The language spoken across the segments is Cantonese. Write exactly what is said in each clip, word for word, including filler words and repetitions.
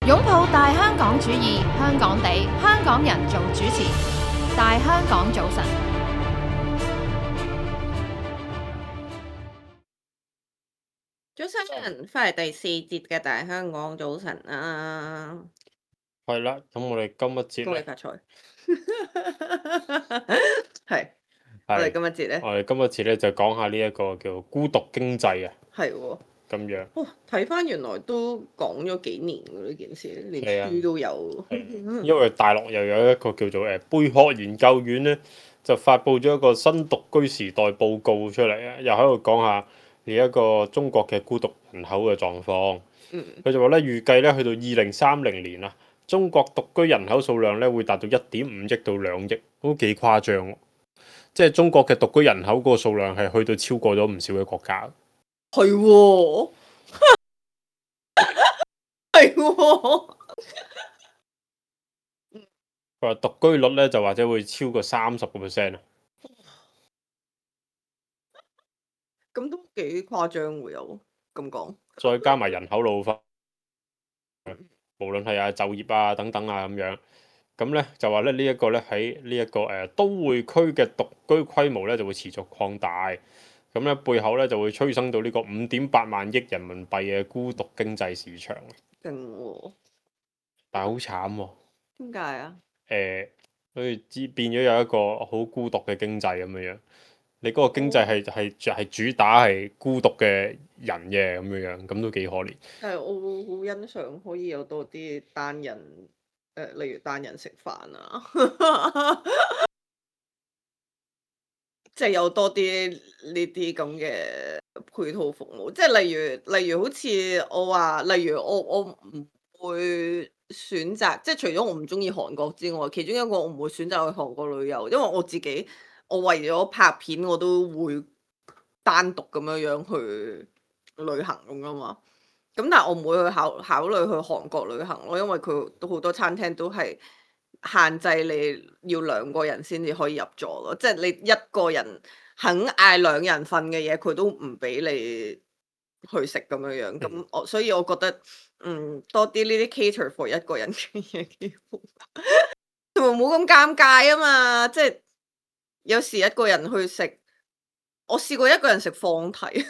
擁抱大香港主義，香港地，香港人做主持，大香港早晨。早晨，翻嚟第四節嘅大香港早晨啊！係啦，咁我哋今一節咧，恭喜發財。係，我哋係今一節咧，我哋今一節咧就講下呢一個叫孤獨經濟啊，係喎。咁樣哇，睇翻原來都講咗幾年㗎呢件事，連係啊書都有。因為大陸又有一個叫做誒貝殼研究院咧，就發布咗一個新獨居時代報告出嚟啊，又喺度講下呢一個中國嘅孤獨人口嘅狀況。嗯，佢就話咧，預計咧去到二零三零年啊，中國獨居人口數量咧會達到一點五億到兩億，都幾誇張喎。即係中國嘅獨居人口嗰個數量係去到超過咗唔少嘅國家。係喎，係喎。佢話獨居率咧就或者會超過三十個 percent 啊。咁都幾誇張會有咁講。再加埋人口老化，無論係啊就業啊等等啊咁樣，咁咧就話咧呢一個咧喺呢一個誒都會區嘅獨居規模咧就會持續擴大，咁咧背後咧就會催生到呢個五點八萬億人民幣嘅孤獨經濟市場。勁喎！但係好慘喎。點解啊？誒，佢知變咗有一個好孤獨嘅經濟咁樣樣。你嗰個經濟係係係主打係孤獨嘅人嘅咁樣樣，咁都幾可憐。但係我會好欣賞可以有多啲單人，誒、呃，例如單人食飯啊，即係有多啲呢啲咁嘅配套服務。即係例如，例如好似我話，例如我我唔會選擇，即係除咗我唔中意韓國之外，其中一個我唔會選擇去韓國旅遊，因為我自己我為咗拍片，我都會單獨咁樣樣去旅行咁噶嘛。咁但係我唔會去考考慮去韓國旅行咯，因為佢都好多餐廳都係限制你要兩個人先至可以入座咯，即係你一個人肯嗌兩人份嘅嘢，佢都唔俾你去食咁樣樣。咁我所以我覺得，嗯，多啲呢啲 cater for 一個人嘅嘢幾好，同埋冇咁尷尬啊嘛！即係有時一個人去食，我試過一個人食放題。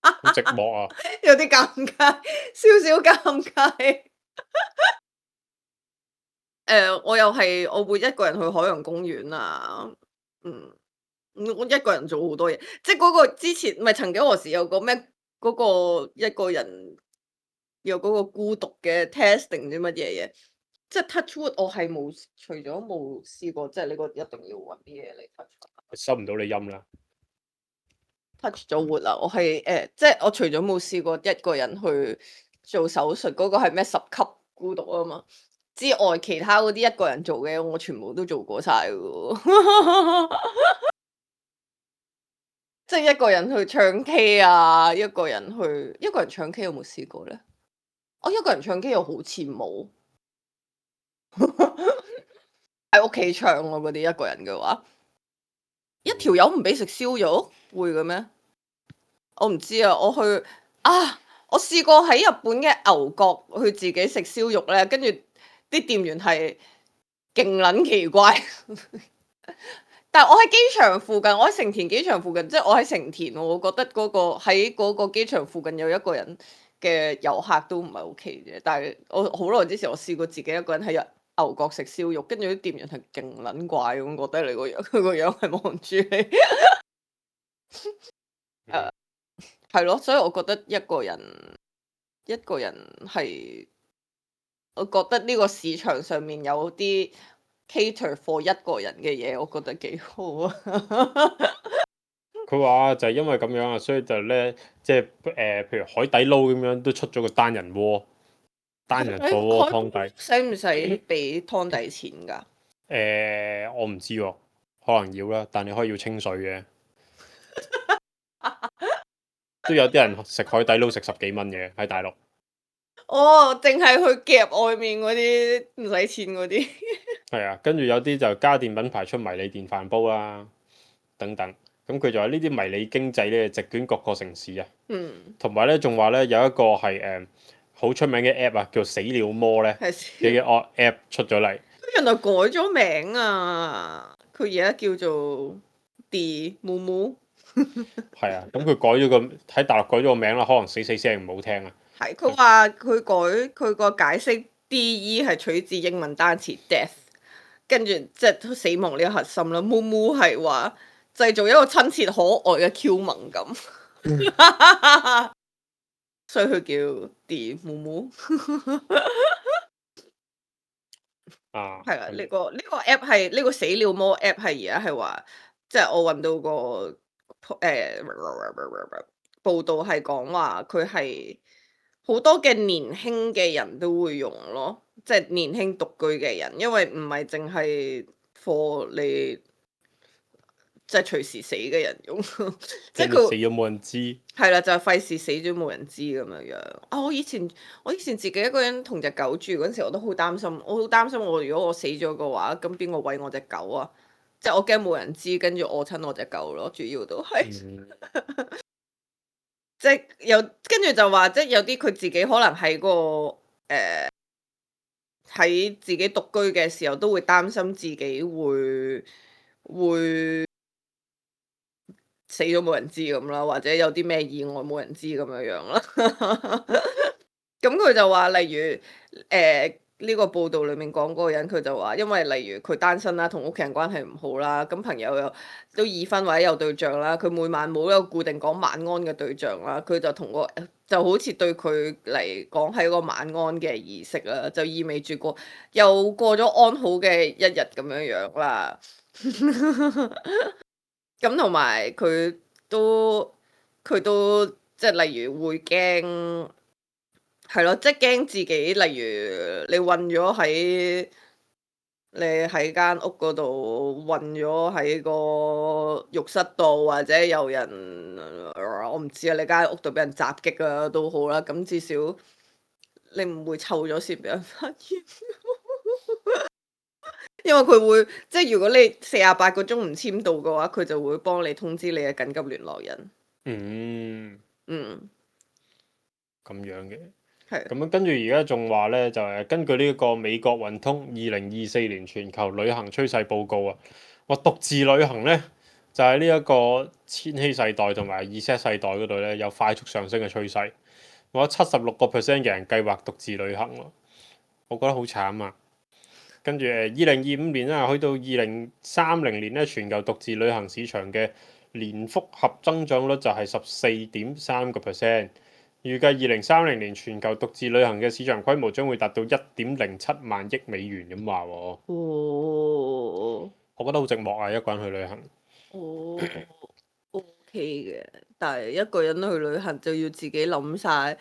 好寂寞啊！有啲尷尬，少少尷尬。誒、呃，我又係我會一個人去海洋公園啊，嗯，我一個人做好多嘢，即係嗰個之前唔係曾幾何時有個咩嗰、個一個人有嗰個孤獨嘅 test 定唔知乜嘢嘢，即係 touch wood 我係冇，除咗冇試過，即係呢個一定要揾啲嘢嚟 touch。收唔到你音啦。touch 咗活啦，我係誒、呃，即係我除咗冇試過一個人去做手術，嗰、個係咩十級孤獨啊嘛，之外其他嗰啲一個人做嘅，我全部都做過晒嘅。即係一個人去唱 K 啊，一個人去一個人唱 K 有冇試過咧？我、哦、一個人唱 K 又好似冇，喺屋企唱我嗰啲一個人嘅話，一條友唔俾食燒肉，會嘅咩？我唔知啊，我去啊，我試過喺日本嘅牛角去自己食燒肉咧，跟住啲店員係勁撚奇怪。但係我喺機場附近，我喺成田機場附近，即係我喺成田，我覺得嗰、個喺嗰個機場附近有一個人嘅遊客都唔係 OK 嘅。但係我好耐之前我試過自己一個人喺牛角食燒肉，跟住啲店員係勁撚怪咁，覺得你個樣，佢個樣係望住你。誒係咯，所以我覺得一個人一個人係，我覺得呢個市場上面有啲 cater for 一個人嘅嘢，我覺得幾好啊。佢話就係因為咁樣啊，所以就咧即係誒，譬如海底撈咁樣都出咗個單人鍋，單人火鍋湯底。使唔使俾湯底錢㗎？誒、我唔知喎，可能要啦，但你可以要清水嘅。都有啲人食海底撈食十幾蚊嘅喺大陸。哦，淨係去夾外面嗰啲唔使錢嗰啲。係啊，跟住有啲就家電品牌出迷你電飯煲啦，等等。咁佢就話呢啲迷你經濟咧，席捲各個城市啊。嗯，同埋咧，仲話咧有一個係誒好出名嘅 app 啊，叫死了魔咧係嘅嘅 app 出咗嚟。原來改咗名啊！佢而家叫做 D 木木，係啊，咁佢改咗個喺大陸改咗個名啦，可能死死聲唔好聽啊。係佢話佢改佢個解釋 D E 係取自英文單詞 death，跟住即係死亡呢個核心啦。木木係話製造一個親切可愛嘅 Q 萌感，所以佢叫 D 木木。啊，係啦，呢、個呢、個 app 係呢、個死了魔 app 係而家係話，即係我揾到個誒、呃、報道係講話佢係好多嘅年輕嘅人都會用咯，即係年輕獨居嘅人，因為唔係淨係 for 你即係隨時死嘅人用，即係跟住死佢咗冇人知。係啦，就係費事死咗冇人知咁樣樣。啊！我以前我以前自己一個人同隻狗住嗰陣時，我都好擔心。我好擔心我如果我死咗嘅話，咁邊個餵我隻狗啊？即係我驚冇人知，跟住餓親我隻狗咯。主要都係、嗯即係有跟住就話，即係有啲佢自己可能喺個誒喺自己獨居嘅時候，都會擔心自己會會死咗冇人知咁啦，或者有啲咩意外冇人知咁樣樣啦。咁佢就話，例如誒呢、個報道裡面講嗰個人，佢就話，因為例如佢單身啦，同屋企人關係唔好啦，咁朋友又都已婚或者有對象啦，佢每晚冇一個固定講晚安嘅對象啦，佢就同個就好似對佢嚟講係一個晚安嘅儀式啦，就意味住過又過咗安好嘅一日咁樣樣啦。咁同埋佢都佢都即係例如會驚係咯，即係驚自己，例如你韞咗喺你喺間屋嗰度韞咗喺個浴室度，或者有人呃我唔知啊，你間屋度俾人襲擊啊都好啦，咁至少你唔會臭咗先俾人發現。因為佢會即係如果你四十八個鐘唔簽到嘅話，佢就會幫你通知你嘅緊急聯絡人。嗯，嗯，咁樣嘅。係咁樣跟住而家仲話咧，就係、根據呢一個美國運通二零二四年全球旅行趨勢報告啊，話獨自旅行咧就係呢一個千禧世代同埋 Z 世代嗰度咧有快速上升嘅趨勢。我七十六個 percent 嘅人計劃獨自旅行喎，我覺得好慘啊！跟住誒，二零二五年啦，去到二零三零年咧，全球獨自旅行市場嘅年複合增長率就係十四點三個 percent。預計二零三零年全球獨自旅行嘅市場規模將會達到一點零七萬億美元咁話喎。哦，我覺得好寂寞啊，一個人去旅行。哦，OK 嘅，但係一個人去旅行就要自己諗晒，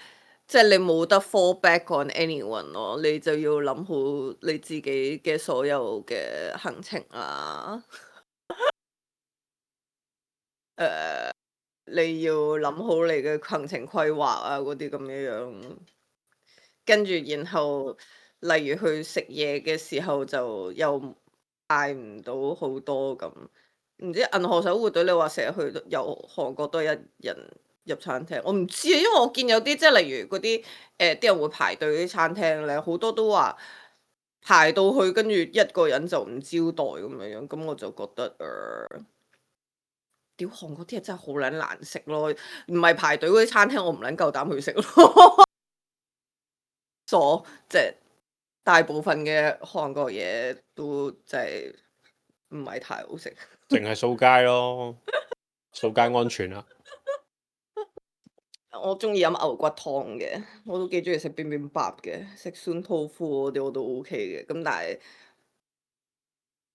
即係你冇得 fall back on anyone 咯，你就要諗好你自己嘅所有嘅行程啊。誒、你要諗好你嘅行程規劃啊，嗰啲咁樣樣。跟住然後，例如去食嘢嘅時候就又嗌唔到好多咁。唔知銀河守護隊你話成日去由韓國都係一人入餐廳，我唔知啊，因為我見有啲即係例如嗰啲誒啲人會排隊啲餐廳咧，好多都話排到去跟住一個人就唔招待咁樣樣，咁我就覺得誒。呃屌韓國啲嘢真係好撚難食咯，唔係排隊嗰啲餐廳我唔撚夠膽去食咯。所即係大部分嘅韓國嘢都即係唔係太好食。淨係掃街咯，掃街安全啊！我中意飲牛骨湯嘅，我都幾中意食邊邊白嘅，食酸湯腐嗰啲我都 OK 嘅。咁但係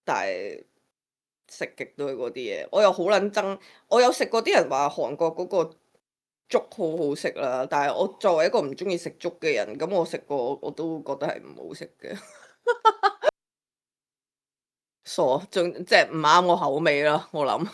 但係食極都係嗰啲嘢，我又好撚憎。我有食過啲人話韓國嗰個粥好好食啦，但係我作為一個唔中意食粥嘅人，咁我食過我都覺得係唔好食嘅。傻，仲即係唔啱我口味啦，我諗。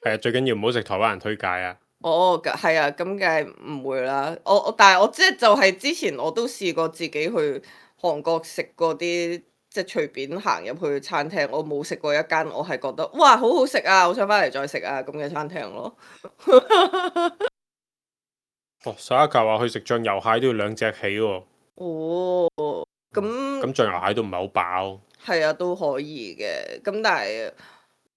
係啊，最緊要唔好食台灣人推介啊！哦，係啊，咁梗係唔會啦。我我但係我即係就係之前我都試過自己去韓國食過啲即係隨便行入去餐廳，我冇食過一間我係覺得哇好好食啊，我想翻嚟再食啊咁嘅餐廳咯。哦，沙一球話去食醬油蟹都要兩隻起喎。哦，咁咁醬油蟹都唔係好飽。係啊，都可以嘅。咁但係，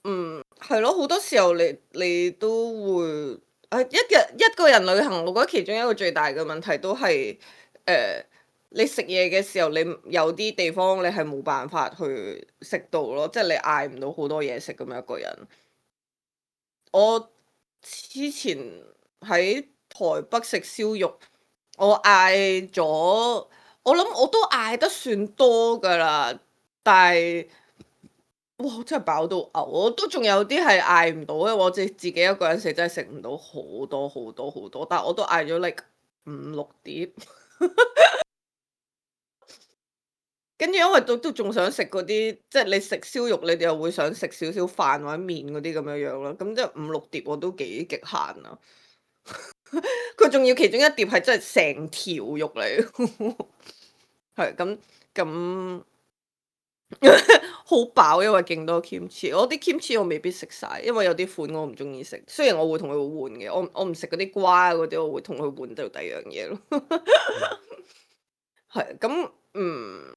嗯，係咯，好多時候你你都會啊，一日一個人旅行，我覺得其中一個最大嘅問題都係誒、呃你食嘢嘅時候，你有啲地方你係冇辦法去食到咯，即係你嗌唔到好多嘢食咁樣一個人。我之前喺台北食燒肉，我嗌咗，我諗我都嗌得算多㗎啦，但係哇真係飽到嘔，我都仲有啲係嗌唔到嘅，我自自己一個人食真係食唔到好多好多好多，但係我都嗌咗 like 五六碟。跟住因為都都仲想食嗰啲，即係你食燒肉，你哋又會想食少少飯或者麵嗰啲咁樣樣咯。咁即係五六碟我都幾極限啊！佢仲要其中一碟係真係成條肉嚟，係咁咁好飽，因為勁多 kimchi。我啲 kimchi 我未必食晒，因為有啲款我唔中意食。雖然我會同佢換嘅，我我唔食嗰啲瓜嗰啲，我會同佢換到第二樣嘢咯。係咁，嗯。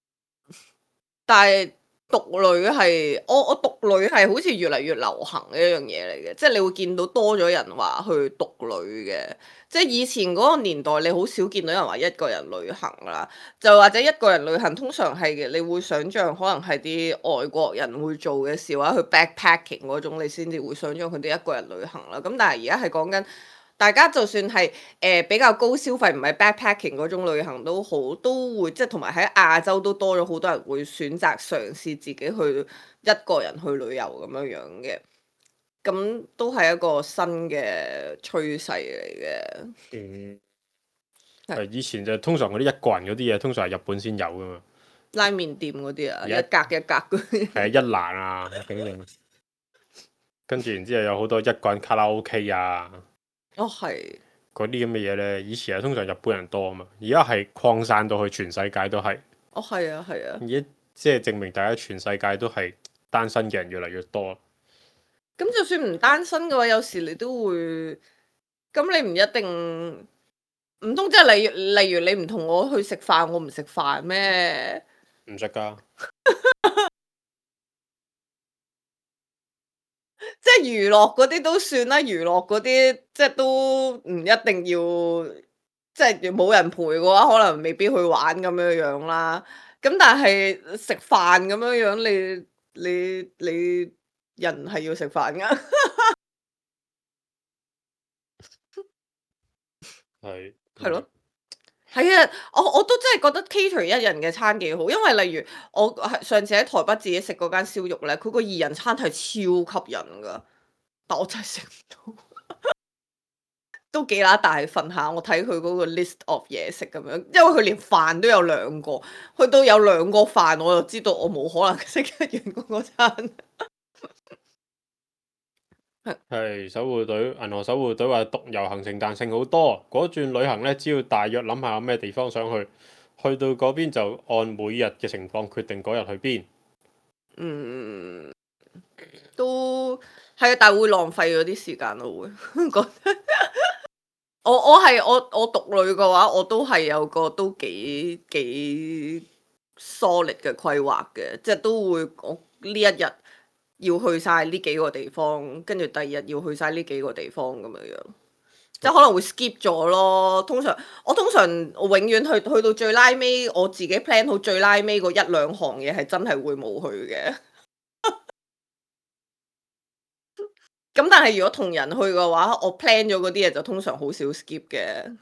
但係獨旅係我我獨旅係好似越嚟越流行嘅一樣嘢嚟嘅，即係你會見到多咗人話去獨旅嘅，即係以前嗰個年代你好少見到人話一個人旅行啦，就或者一個人旅行通常係嘅，你會想像可能係啲外國人會做嘅事，或者去 backpacking 嗰種，你先至會想像佢哋一個人旅行啦。咁但係而家係講緊。大家就算係誒、呃、比較高消費，唔係 backpacking 嗰種旅行都好，都會即係同埋喺亞洲都多咗好多人會選擇嘗試自己去一個人去旅遊咁樣樣嘅，咁都係一個新嘅趨勢嚟嘅。嗯，係係以前就通常嗰啲一個人嗰啲嘢，通常係日本先有噶嘛。拉麵店嗰啲啊，而家一格一格嗰啲。係啊，一蘭啊，等等。跟住然之後有好多一個人卡拉 OK 啊，哦，係。嗰啲咁嘅嘢呢，以前係通常日本人多啊嘛，而家係擴散到去全世界都係。哦，係啊，係啊。而家即係證明大家全世界都係單身嘅人越嚟越多。咁就算唔單身嘅話，有時你都會，咁你唔一定，唔通即係例如例如你唔同我去食飯，我唔食飯咩？唔識㗎。即係娛樂嗰啲都算啦，娛樂嗰啲即係都唔一定要，即係冇人陪嘅話，可能未必去玩咁樣樣啦。咁但係食飯咁樣樣，你你你人係要食飯㗎。係。係咯。係啊，我我都真係覺得 cater 一人嘅餐幾好，因為例如我係上次喺台北自己食嗰間燒肉咧，佢個二人餐係超吸引㗎，但我真係食唔到。都幾乸大份下，我睇佢嗰個 list of 嘢食咁樣，因為佢連飯都有兩個，去到有兩個飯，我就知道我冇可能食得完嗰個餐。係守護隊，銀河守護隊話獨遊行程彈性好多，嗰轉旅行呢，只要大約諗下有咩地方想去，去到嗰邊就按每日嘅情況決定嗰日去邊。嗯，都係啊，但係會浪費嗰啲時間咯，會覺得。我我係我我獨旅嘅話，我都係有個都幾幾 solid 嘅規劃嘅，即係都會我呢一日要去晒呢幾個地方，跟住第二日要去晒呢幾個地方咁樣樣，即係可能會 skip 咗咯。通常我通常我永遠去去到最拉尾，我自己 plan 好最拉尾嗰一兩行嘢係真係會冇去嘅。咁但係如果同人去嘅話，我 plan 咗嗰啲嘢就通常好少 skip 嘅。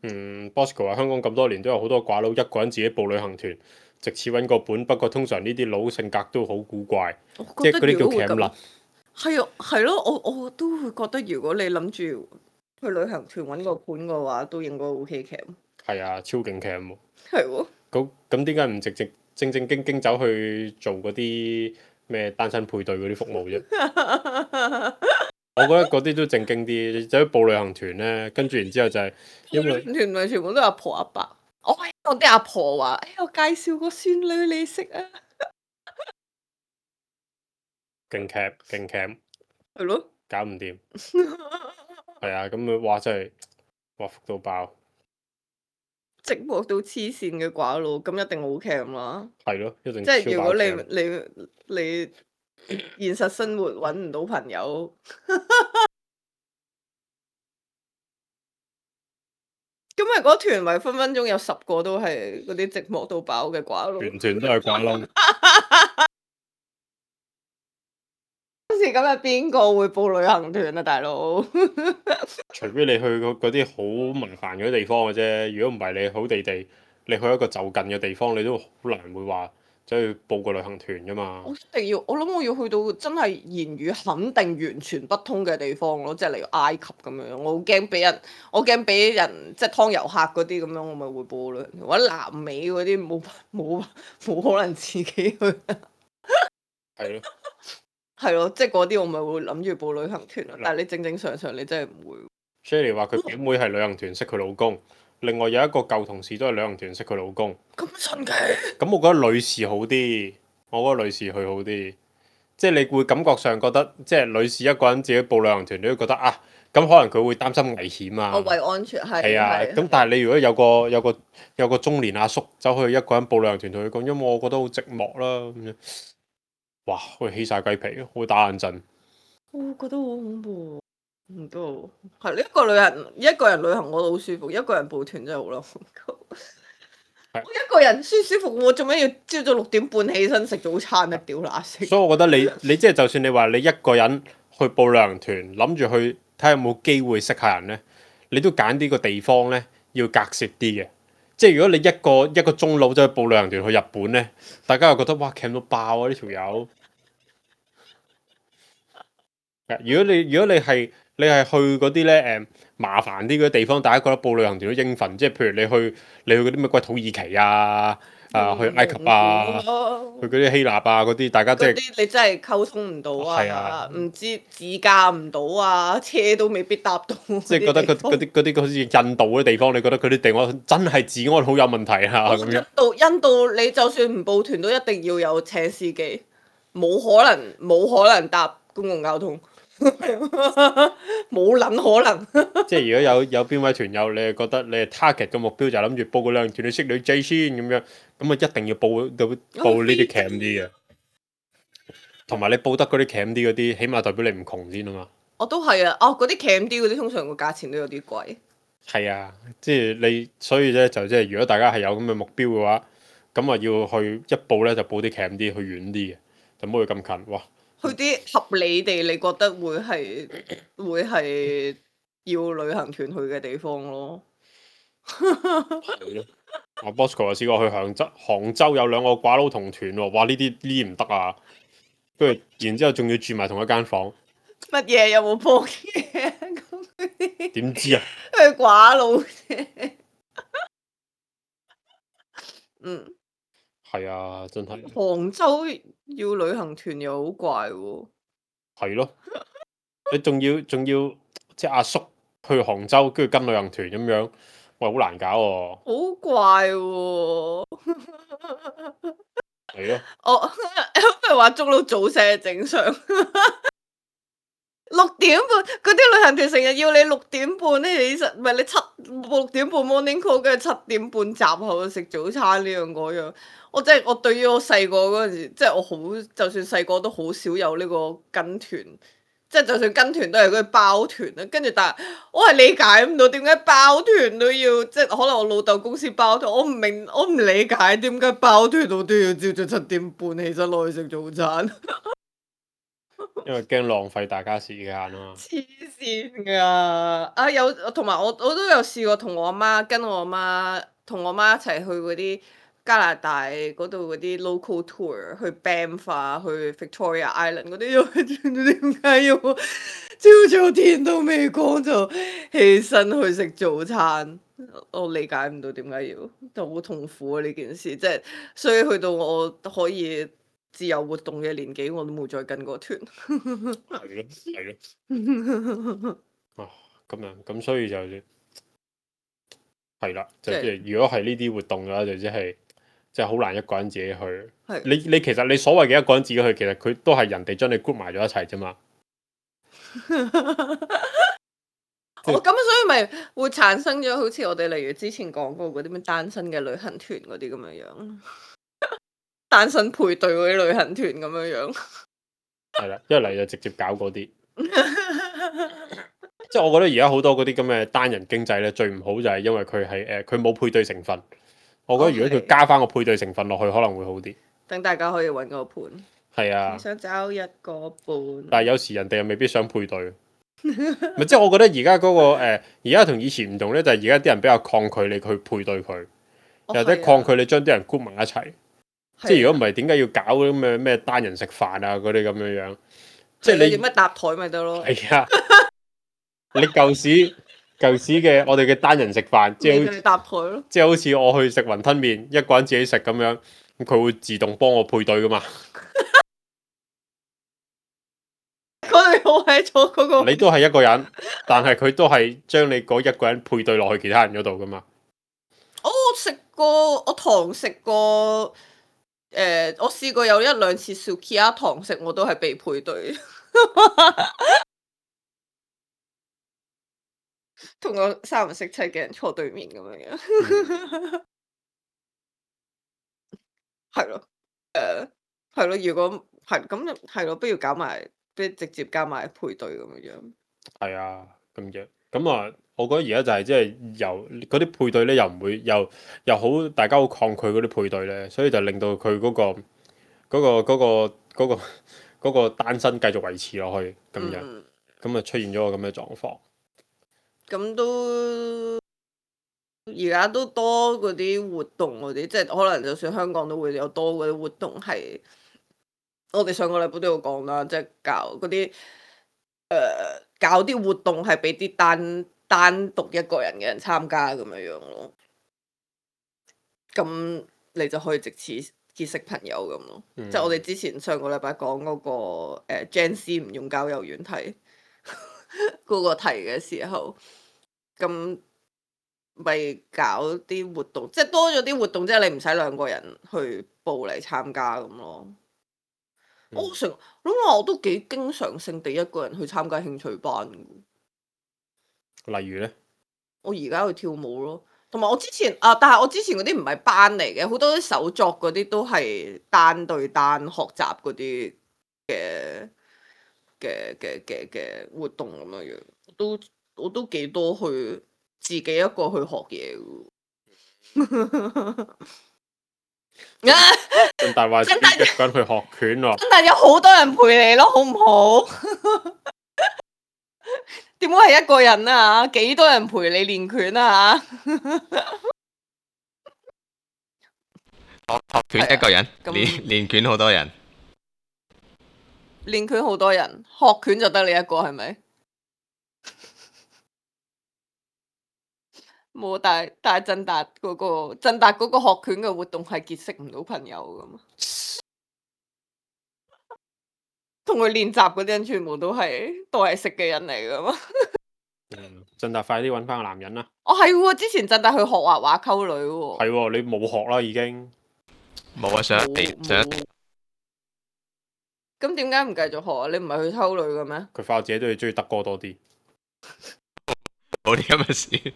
嗯，Bosco 話香港咁多年都有好多寡佬一個人自己報旅行團，藉此揾個本。不過通常呢啲佬性格都好古怪，我覺得即係嗰啲叫如果會咁，鉗甩。係啊，係咯，我我都會覺得如果你諗住去旅行團揾個伴嘅話，都應該 OK 嘅。係啊，超勁鉗喎。係喎。咁咁點解唔直直正正經經走去做嗰啲咩單身配對嗰啲服務啫？我覺得嗰啲都正經啲，走去報旅行團呢，跟住然之後就係因為團咪全部都係阿婆阿伯。我係我啲阿婆話：哎，我介紹個孫女你識啊！勁鉗勁鉗，係咯。搞唔掂。係啊，咁啊，哇！真係哇，福到爆，寂寞到黐線嘅寡佬，咁一定好 cam 啦。係咯，一定即係超爆如果你 cam。你你現實生活揾唔到朋友，咁咪嗰團咪分分鐘有十個都係嗰啲寂寞到爆嘅寡佬。全團都係寡佬。今時今日邊個會報旅行團啊，大佬？除非你去嗰嗰啲好麻煩嗰啲地方嘅啫，如果唔係你好地地，你去一個就近嘅地方，你都好難會話走去報個旅行團噶嘛。我一定要，我諗我要去到真係言語肯定完全不通嘅地方咯，即係例如埃及咁樣，我好驚俾人，我驚俾人即係劏遊客嗰啲咁樣，我咪會報旅行團，或者南美嗰啲冇冇冇可能自己去。係咯，係咯，即係嗰啲我咪會諗住報旅行團咯，但係你正正常常你真係唔會。 Shelly 話佢表妹係旅行團識佢老公，另外有一個舊同事都係旅行團識佢老公。咁神奇？咁我覺得女士好啲，我覺得女士去好啲，即係你會感覺上覺得，即係女士一個人自己報旅行團，你都覺得啊，咁可能佢會擔心危險啊。我為安全係。係啊，咁但係你如果有個有個有個中年阿叔走去一個人報旅行團同佢講，因為我覺得好寂寞啦咁樣，哇，會起晒雞皮，會打冷震。我覺得好恐怖。唔得，係一個旅行，一個人旅行我都好舒服，一個人報團真係好啦。我一個人舒舒服，我做咩要朝早六點半起身食早餐啊？屌乸死！所以我覺得你你即係就算你話你一個人去報旅行團，諗住去睇下有冇機會識下人呢，你都揀呢個地方呢，要隔涉啲嘅。即係如果你一個一個中佬走去報旅行團去日本呢，大家又覺得哇，cam 到爆啊呢條友！如果你如果你係你係去嗰啲咧誒麻煩啲嗰啲地方，大家覺得報旅行團都應份，即係譬如你去你去嗰啲咩鬼土耳其啊，啊去埃及啊，去嗰啲希臘啊嗰啲，大家即係嗰啲你真係溝通唔到係啊啊，唔知自駕唔到啊，車都未必搭到。即係覺得嗰嗰啲嗰啲好似印度嗰啲地方，你覺得佢啲地方真係治安好有問題啊咁樣。印度印度你就算唔報團都一定要有請司機，冇可能冇可能搭公共交通。冇撚可能。即係如果有有邊位團友，你係覺得你係 target 嘅目標就係諗住報個旅行團，你識女仔先咁樣，咁啊一定要報到報呢啲 cam 啲嘅，同埋你報得嗰啲 cam 啲嗰啲，起碼代表你唔窮先啊嘛。我都係啊，哦嗰啲 cam 啲嗰啲通常個價錢都有啲貴。係啊，即係你所以咧就即係如果大家係有咁嘅目標嘅話，咁啊要去一報咧就報啲 cam 啲，去遠啲嘅，就唔好去咁近。哇！去啲合理地，你覺得會係會係要旅行團去嘅地方咯。阿 Bosco 又試過去杭州，杭州有兩個寡佬同團喎，哇！呢啲呢啲唔得啊，跟住然之後仲要住埋同一間房。乜嘢有冇破嘢？咁點知啊？佢寡佬啫。嗯。係啊，真係。杭州要旅行團又好怪喎。係咯，你仲要仲要即係阿叔去杭州，跟住跟旅行團咁樣，喂，好難搞喎。好怪喎。係咯。我不如話捉到早醒係正常。六點半嗰啲旅行團成日要你六點半咧，你實唔係你七六點半 morning call，跟住七點半集合食早餐呢樣嗰樣。我真係我對於我細個嗰陣時，即係我好就算細個都好少有呢個跟團，即係就算跟團都係嗰啲包團啦。跟住但係我係理解唔到點解包團都要，即係可能我老豆公司包團，我唔明我唔理解點解包團我都要朝早七點半起身落去食早餐。因為驚浪費大家時間啊嘛。黐線㗎！啊有同埋我我都有試過同我阿媽跟我阿媽同我媽一齊去嗰啲加拿大嗰度嗰啲 local tour，去 Banff 啊，去 Victoria Island 嗰啲，點解要朝早天都未光就起身去食早餐？我理解唔到點解要，就好痛苦啊呢件事，即係所以去到我可以自由活動嘅年紀，我都冇再跟過團。係咯，係咯。啊，咁樣咁所以就係啦，就即係如果係呢啲活動嘅話，就即係即係好難一個人自己去。你你其實你所謂嘅一個人自己去，其實佢都係人哋將你 group 埋咗一齊啫嘛。即係哦，咁所以咪會產生咗好似我哋例如之前講過嗰啲咩單身嘅旅行團嗰啲咁樣樣，單身配對嗰啲旅行團咁樣樣。係啦，一嚟就直接搞嗰啲。即係我覺得而家好多嗰啲咁嘅單人經濟咧，最唔好就係因為佢係誒佢冇配對成分。我覺得如果佢係加翻個配對成分落去，可能會好啲。等大家可以揾個伴。係啊你，想找一個伴，但係有時人哋又未必想配對。咪即係我覺得而家嗰個誒，而家同以前唔同咧，就係而家啲人比較抗拒你去配對佢，哦又或者係啊抗拒你將啲人 group 埋一齊。即係如果唔係啊係，點解要搞嗰啲咩咩單人食飯啊嗰啲咁樣樣？即係啊係你點乜搭台咪得咯？係啊，你舊時舊時嘅我哋嘅單人食飯，即係好你就係搭台咯。即係好似我去食雲吞麵，一個人自己食咁樣，咁佢會自動幫我配對噶嘛。我哋好喺咗嗰個。你都係一個人，但係佢都係將你嗰一個人配對落去其他人嗰度噶嘛。哦，我食過，我堂食過，誒、我試過有一兩次 Sukiya 堂食，我都係被配對，同個三唔識七嘅人坐對面咁樣樣，係咯、誒，係咯，如果係咁就係咯，不如搞埋，不如直接加埋配對咁樣樣。係啊，咁樣咁啊，我覺得而家就係即係由嗰啲配對咧，又唔會又又好，大家好抗拒嗰啲配對咧，所以就令到佢嗰、個嗰、個嗰、個嗰、個嗰、個單身繼續維持落去咁樣，嗯，咁啊出現咗個咁嘅狀況。咁都而家都多嗰啲活動嗰啲，即係可能就算香港都會有多嗰啲活動係，我哋上個禮拜都有講啦，即係搞嗰啲誒搞啲活動係俾啲單單獨一個人嘅人參加咁樣樣咯。咁你就可以藉此結識朋友咁咯。嗯即係我哋之前上個禮拜講嗰個誒 Gen Z 唔用交友軟體嗰個題嘅時候，咁咪搞啲活動，即係多咗啲活動，即係你唔使兩個人去報嚟參加咁咯。嗯我成諗話我都幾經常性地一個人去參加興趣班嘅。例如咧，我而家去跳舞咯，同埋我之前啊，但係我之前嗰啲唔係班嚟嘅，好多啲手作嗰啲都係單對單學習嗰啲嘅嘅嘅嘅嘅活動咁樣樣，都我都幾多去自己一個去學嘢嘅。咁大話自己一個人去學拳喎。真係有好多人陪你咯，好唔好？點解係一個人啊？幾多人陪你練拳啊？學學拳一個人，咁練練拳好多人。練拳好多人，學拳就得你一個係咪？冇，但係但係振達嗰個振達嗰個學拳嘅活動係結識唔到朋友噶嘛？同佢練習嗰啲人全部都係都係識嘅人嚟噶嘛？嗯，振達快啲揾翻個男人啦。哦係喎，之前振達去學畫畫溝女喎。係喎，你冇學啦已經。冇啊，上一地冇上一冇咁點解唔繼續學啊？你唔係去溝女嘅咩？佢發覺自己都係中意德哥多啲。冇啲咁嘅事。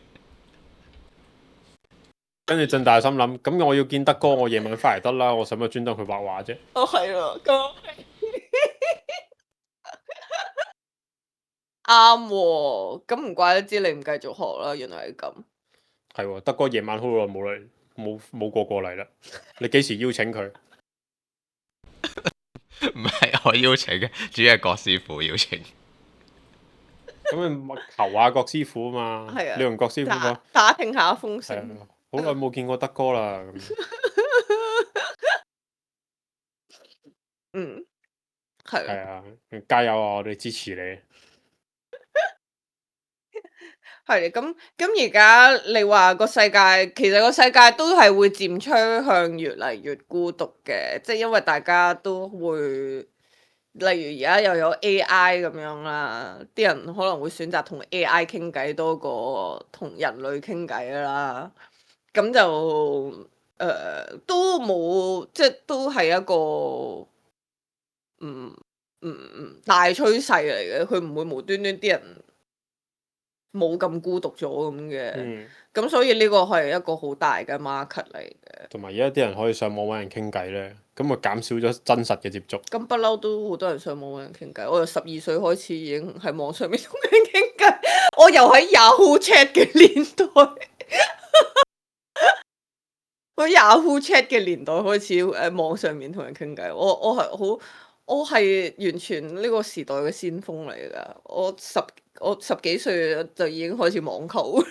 跟住振大心諗，咁我要見德哥，我夜晚翻嚟得啦，我使乜專登去畫畫啫？哦係咯，咁啱喎，咁唔怪得知你唔繼續學啦，原來係咁。係喎，德哥夜晚好耐冇嚟，冇冇過過嚟啦。你幾時邀請佢？唔係我邀請嘅，主要係郭師傅邀請。咁你求下郭師傅啊嘛。係啊你同郭師傅講打，打聽下風係聲。啊，好耐冇見過德哥啦。咁嗯，係係啊，加油啊！我哋支持你。係咁咁而家你話個世界，其實個世界都係會漸趨向越嚟越孤獨嘅，即係因為大家都會，例如而家又有 A I 咁樣啦，啲人可能會選擇同 A I 傾偈多過同人類傾偈啦，咁就誒、呃、都冇，即係都係一個嗯嗯嗯大趨勢嚟嘅，佢唔會無端端啲人。冇咁孤獨咗咁嘅。嗯，咁所以呢個係一個好大嘅 market 嚟嘅。同埋而家啲人可以上網揾人傾偈咧，咁咪減少咗真實嘅接觸。咁不嬲都好多人上網揾人傾偈，我由十二歲開始已經喺網上面同人傾偈，我又喺 Yahoo Chat 嘅年代。我 Yahoo Chat 嘅年代開始誒、呃、網上面同人傾偈，我我係好，我係完全呢個時代嘅先鋒嚟㗎。我十我十幾歲就已經開始網購，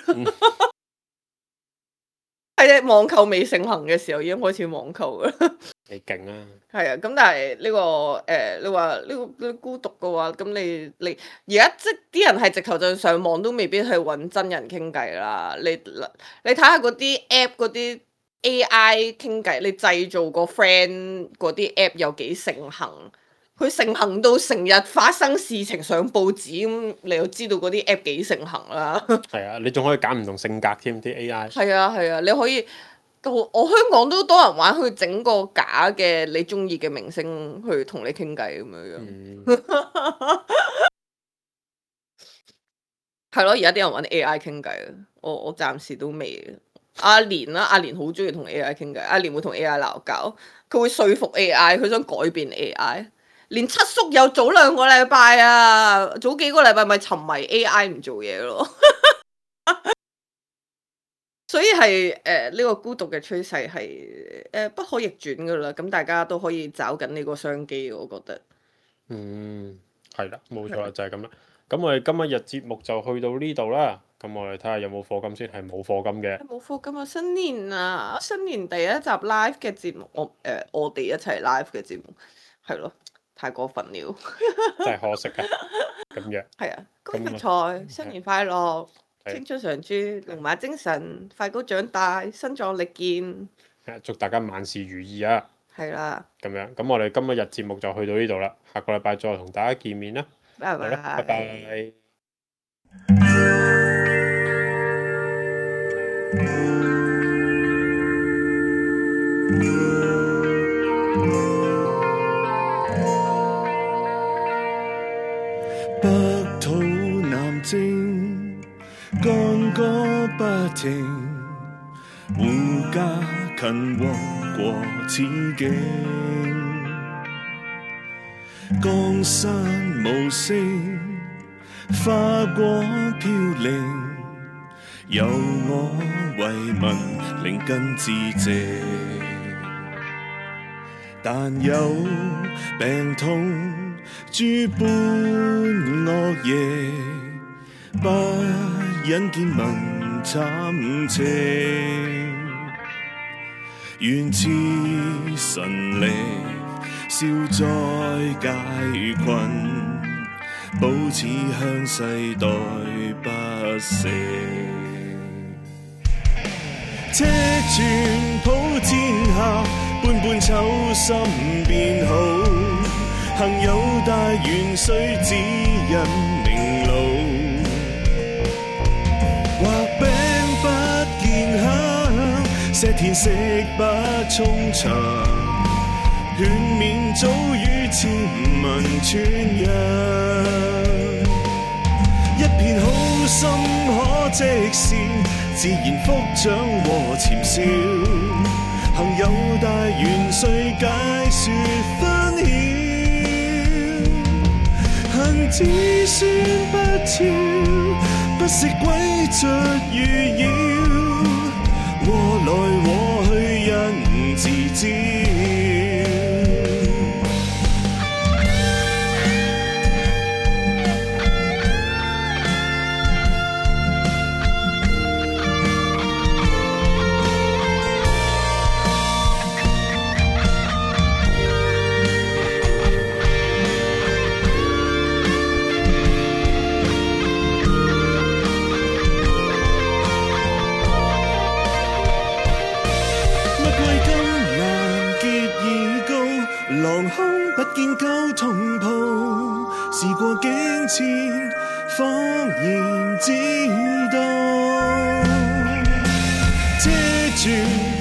喺、嗯、網購未盛行嘅時候已經開始網購㗎。你勁啊！係啊，咁但係呢、呢個誒、呃，你話呢、呢個呢個孤獨嘅話，咁你你而家即啲人係直頭就上網都未必去揾真人傾偈啦。你你睇下嗰啲 app 嗰啲 A I 傾偈，你製造個 friend 嗰啲 app 有幾盛行？佢盛行到成日發生事情上報紙咁，你就知道嗰啲 app 幾盛行啦。係啊，你仲可以揀唔同性格添啲 A I。係啊係啊，你可以。我我香港都多人玩，去整個假嘅你中意嘅明星去同你傾偈咁樣樣。係咯、嗯，而家啲人揾 A I 傾偈啊，我我暫時都未。阿蓮啦，阿蓮好中意同 A I 傾偈，阿蓮會同 A I 鬧交，佢會說服 A I，佢想改變 A I。連七叔有早兩個禮拜啊，早幾個禮拜咪沉迷 A I 唔做嘢咯。所以係誒呢個孤獨嘅趨勢係誒不可逆轉噶啦，咁大家都可以找緊呢個商機，我覺得。嗯，係啦，冇錯啦，就係咁啦。咁我哋今日日節目就去到呢度啦。咁我哋睇下有冇課金先，係冇課金嘅。冇課金啊！新年啊，新年第一集 live 嘅節目，我誒、呃、我哋一齊 live 嘅節目，係咯，太過分了，真係可惜啊！咁樣。係啊，恭喜發財，新年快樂！青春常駐，龍馬精神，快高長大，身壯力健。祝大家萬事如意啊！係啦。咁樣，咁我哋今日節目就去到呢度啦，下個禮拜再同大家見面啦。拜拜。拜拜。北土南征。干戈不停，護家勤王國此境。江山無聲，花果飄零，由我為民靈根致靜。但有病痛諸般惡嘢，不忍見民慘情，願賜神力消災解困，保此鄉世代不息。車傳普天下，般般秋心變好，幸有大元帥指引明路。畫餅不見香，石田食不充場，勸勉早與千民傳揚，一片好心可即善，自然福長和潛笑，幸有大元帥解說分曉，恨子孫不肖，不惜詭譎預擾，禍來禍去人自知。不見交通鋪，事過境遷，恍然知道。車傳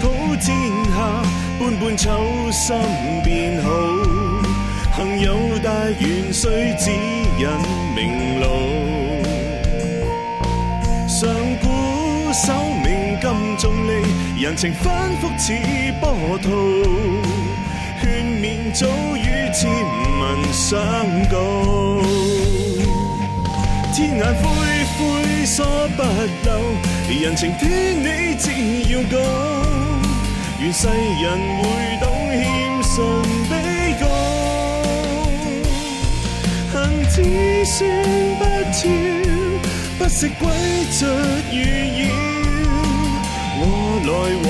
普天下，般般秋心變好。幸有大元帥指引明路，手鳴金重利，人情反覆似波濤，勸勉早與千民相告。天眼灰灰疏不漏，人情天理只要高，願世人會懂謙遜悲告。恨只算不跳，不惜詭譎預擾，我來往